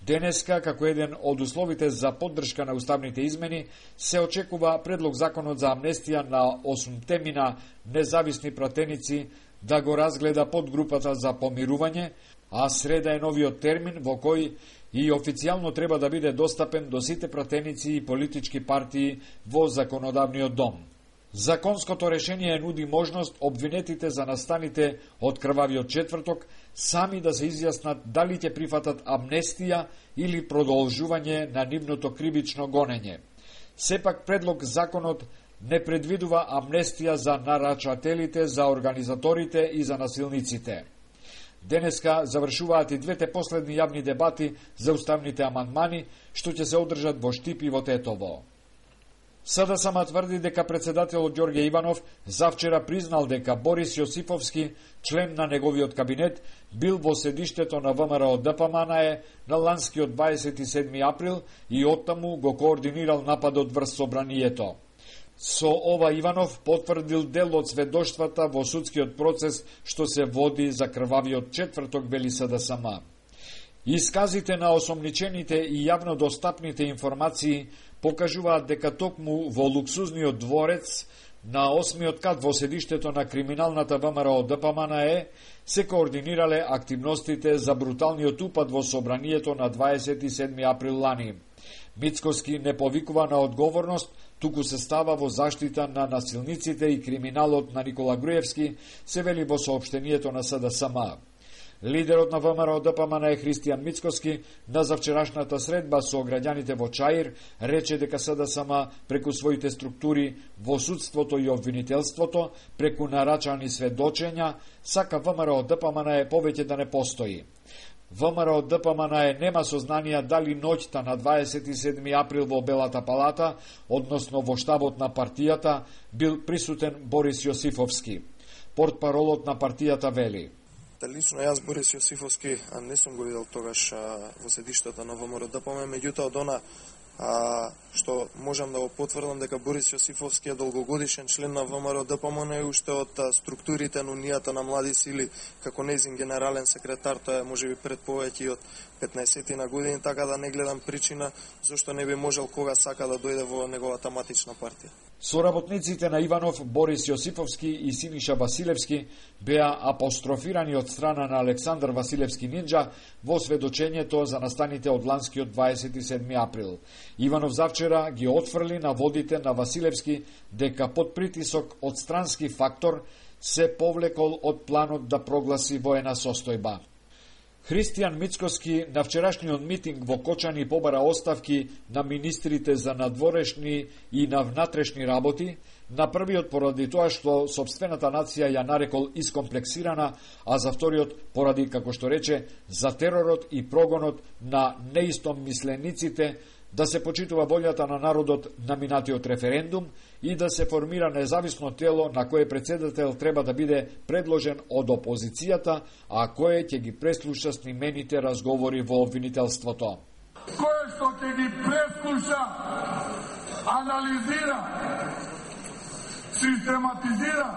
Денеска, како еден од условите за поддршка на уставните измени, се очекува предлог законот за амнестија на 8 мина независни пратеници да го разгледа подгрупата за помирување, а среда е новиот термин во кој и официјално треба да биде достапен до сите пратеници и политички партии во законодавниот дом. Законското решение нуди можност обвинетите за настаните од крвавиот четврток сами да се изјаснат дали ќе прифатат амнестија или продолжување на нивното кривично гонење. Сепак предлог законот не предвидува амнестија за нарачателите, за организаторите и за насилниците. Денеска завршуваат и двете последни јавни дебати за уставните амандмани, што ќе се одржат во Штип и во Тетово. СДСМ тврди дека председателот Ѓорѓе Иванов завчера признал дека Борис Јосифовски, член на неговиот кабинет, бил во седиштето на ВМРО ДПМНЕ на ланскиот 27 април и оттаму го координирал нападот врз собранието. Со ова Иванов потврдил дел од сведоштвата во судскиот процес што се води за крвавиот четврток, вели СДСМ. Исказите на осомничените и јавно достапните информации покажуваат дека токму во луксузниот дворец на 8-миот кат во седиштето на криминалната ВМРО ДПМНЕ се координирале активностите за бруталниот упад во собранието на 27 април лани. Мицкоски не повикува на одговорност, туку се става во заштита на насилниците и криминалот на Никола Груевски, се вели во соопштението на СДСМ. Лидерот на ВМРО ДПМНЕ Христијан Мицкоски на завчерашната средба со граѓаните во Чаир рече дека СДСМ преку своите структури во судството и обвинителството, преку нарачани сведочења, сака ВМРО ДПМНЕ повеќе да не постои. ВМРО ДПМНЕ нема сознанија дали ноќта на 27 април во Белата палата, односно во штабот на партијата, бил присутен Борис Јосифовски. Портпаролот на партијата вели: Лично јас Борис Јосифовски не сум го видел тогаш во седиштето на ВМРО ДПМНЕ, меѓутоа од она што можам да го потврдам дека Борис Јосифовски е долгогодишен член на ВМРО ДПМНЕ и уште од структурите на Унијата на млади сили како нејзин генерален секретар, тоа е можеби пред повеќе од 15 на години, така да не гледам причина зашто не би можел кога сака да дојде во неговата матична партија. Соработниците на Иванов, Борис Јосифовски и Синиша Василевски беа апострофирани од страна на Александар Василевски Нинџа во сведочењето за настаните од ланскиот 27 април. Иванов завчера ги отфрли на водите на Василевски дека под притисок од странски фактор се повлекол од планот да прогласи воена состојба. Христијан Мицкоски на вчерашниот митинг во Кочани побара оставки на министрите за надворешни и на внатрешни работи, на првиот поради тоа што сопствената нација ја нарекол искомплексирана, а за вториот поради, како што рече, за теророт и прогонот на неистомислениците, да се почитува волјата на народот на минатиот референдум и да се формира независно тело на кое председател треба да биде предложен од опозицијата, а кое ќе ги преслуша снимените разговори во обвинителството. Кое што ќе ги преслуша, анализира, систематизира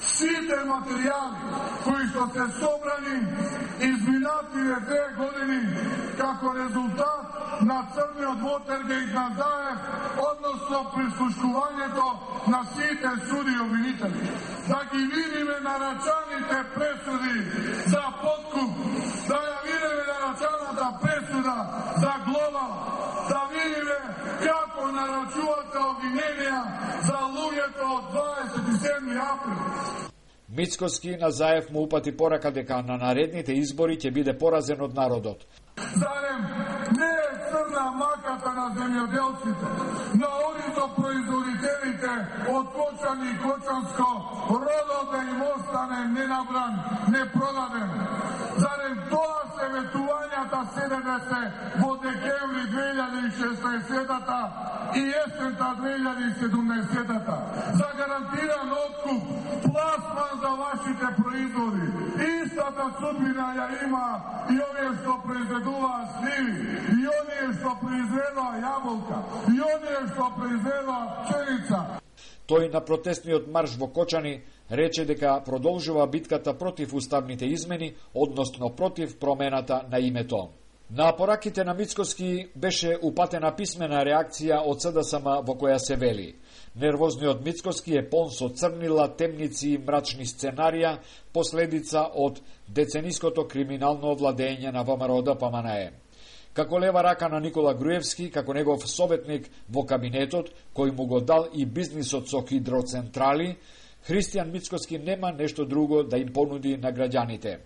сите материјали кои што се собрани изминативе 2 години како резултат на црниот Watergate на Заев, односно прислушкувањето на сите суди и обвинители. Да ги видиме нарачаните пресуди за подкуп, да ја видиме нарачаната пресуда за глобал, да видиме како нарачувате обвиненија за луѓето од 27 април. Мицкоски на Заев му упати порака дека на наредните избори ќе биде поразен од народот. Зарем не е црна маката на земјоделците, на онито производителите од Кочани и Кочанско, родот да им остане ненабран, непродаден. Зарем тоа се ветувањата СДС во декември 2016-та и есента 2017-та за гарантиран откуп, пласман за вашите производи. Истата судбина ја има и овие што произведуваа сливи, и оние што произведува јаболка, и оние што произведува пченица. Тој на протестниот марш во Кочани рече дека продолжува битката против уставните измени, односно против промената на името. На пораките на Мицкоски беше упатена писмена реакција од СДСМ во која се вели: нервозниот Мицкоски е полн со црнила, темници и мрачни сценарија, последица од децениското криминално владење на ВМРО-ДПМНЕ. Како лева рака на Никола Груевски, како негов советник во кабинетот, кој му го дал и бизнисот со хидроцентрали, Христијан Мицкоски нема нешто друго да им понуди на граѓаните.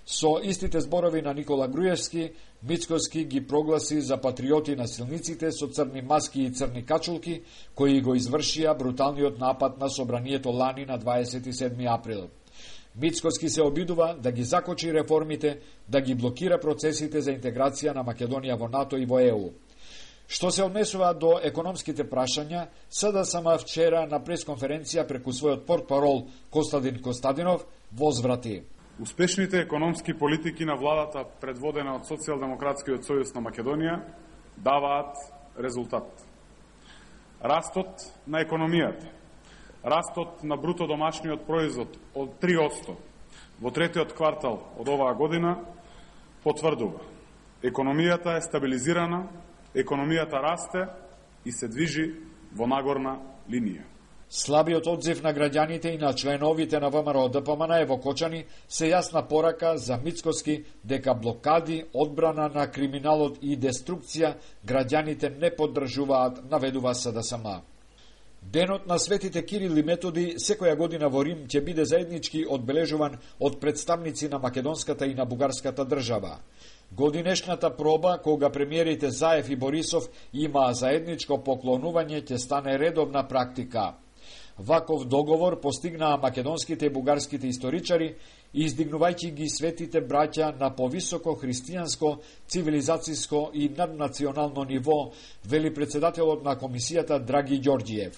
Со истите зборови на Никола Груевски, Мицкоски ги прогласи за патриоти насилниците со црни маски и црни качулки, кои го извршија бруталниот напад на собранието лани на 27 април. Мицкоски се обидува да ги закочи реформите, да ги блокира процесите за интеграција на Македонија во НАТО и во ЕУ. Што се однесува до економските прашања, СДСМ вчера на пресконференција преку својот портпарол Костадин Костадинов возврати: успешните економски политики на владата, предводена од Социјалдемократскиот сојуз на Македонија, даваат резултат. Растот на економијата, растот на бруто домашниот производ од 3% во третиот квартал од оваа година потврдува: економијата е стабилизирана, економијата расте и се движи во нагорна линија. Слабиот одзив на граѓаните и на членовите на ВМРО-ДПМНЕ во Кочани се јасна порака за Мицкоски дека блокади, одбрана на криминалот и деструкција граѓаните не поддржуваат, наведува СДСМ. Денот на светите Кирил и Методи секоја година во Рим ќе биде заеднички одбележуван од представници на македонската и на бугарската држава. Годинешната проба, кога премиерите Заев и Борисов имаа заедничко поклонување, ќе стане редовна практика. Ваков договор постигнаа македонските и бугарските историчари, издигнувајќи ги светите браќа на повисоко христијанско, цивилизацијско и наднационално ниво, вели председателот на комисијата Драги Ѓорѓиев.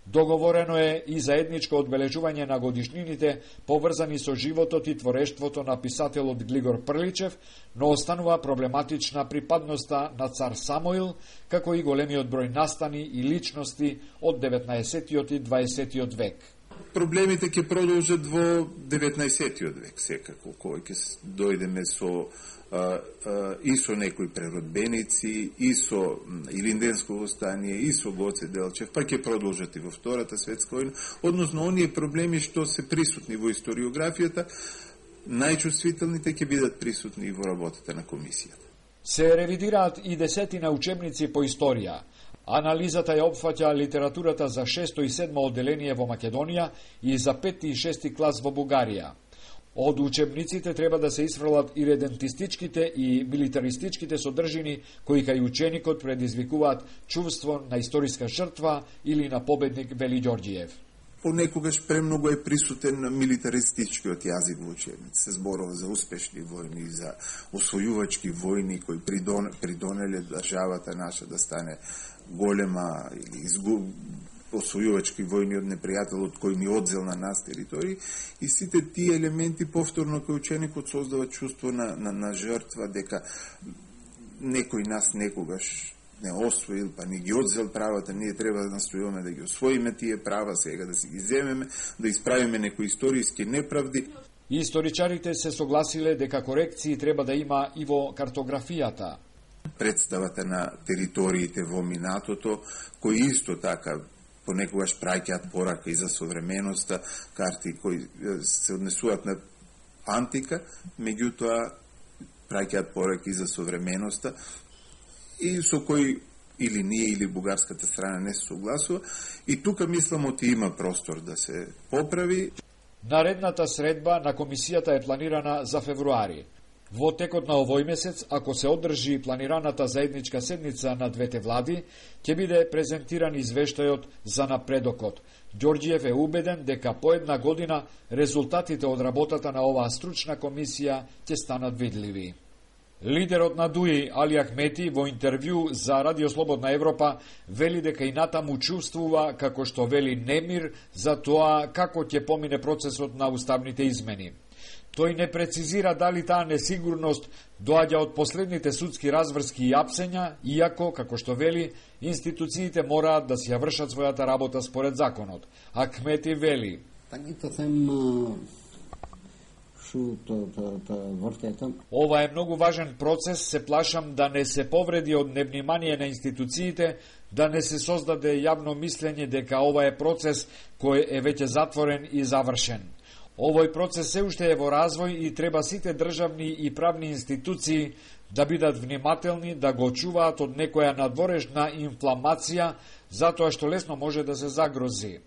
Договорено е и заедничко одбележување на годишнините поврзани со животот и творештвото на писателот Глигор Прличев, но останува проблематична припадноста на цар Самоил, како и големиот број настани и личности од 19-тиот и 20-тиот век. Проблемите ќе продолжат во 19-тиот век, секако, кој ќе дојдеме со и со некои преродбеници, и со Илинденско востание, и со Гоце Делчев, па ќе продолжат и во Втората светска војна, односно оние проблеми што се присутни во историографијата, најчувствителните ќе бидат присутни и во работата на комисијата. Се ревидираат и десетина учебници по историја. Анализата ја опфаќа литературата за 6 и 7 одделение во Македонија и за 5 и 6 клас во Бугарија. Од учебниците треба да се исфрлат и редентистичките и милитаристичките содржини кои кај ученикот предизвикуваат чувство на историска жртва или на победник, вели Ѓорѓиев. Понекогаш премногу е присутен милитаристичкиот јазик во учебници. Се зборува за успешни војни, за освојувачки војни кои придонеле државата наша да стане голема или освојувачки војни од непријателот кој ни одзел на нас територии, и сите тие елементи повторно кај ученикот создават чувство на жртва, дека некој нас некогаш не освоил, па ни ги одзел правата, ние треба да настојуваме да ги освоиме тие права, сега да си ги земеме, да исправиме некои историски неправди. Историчарите се согласиле дека корекции треба да има и во картографијата. Представата на териториите во минатото, кои исто така понекогаш праќаат порака и за современоста, карти кои се однесуваат на антика, меѓутоа праќаат порака и за современоста, и со кои или ние или бугарската страна не се согласува, и тука мислам оти има простор да се поправи. Наредната средба на комисијата е планирана за февруари. Во текот на овој месец, ако се одржи планираната заедничка седница на двете влади, ќе биде презентиран извештајот за напредокот. Ѓорѓиев е убеден дека по една година резултатите од работата на оваа стручна комисија ќе станат видливи. Лидерот на ДУИ Али Ахмети во интервју за Радио Слободна Европа вели дека и натаму чувствува, како што вели, немир за тоа како ќе помине процесот на уставните измени. Тој не прецизира дали таа несигурност доаѓа од последните судски разврски и апсења, иако, како што вели, институциите мораат да си ја вршат својата работа според законот. Ахмети вели: Ова е многу важен процес, се плашам да не се повреди од невнимание на институциите, да не се создаде јавно мислење дека ова е процес кој е веќе затворен и завршен. Овој процес се уште е во развој и треба сите државни и правни институции да бидат внимателни, да го чуваат од некоја надворешна инфламација, затоа што лесно може да се загрози.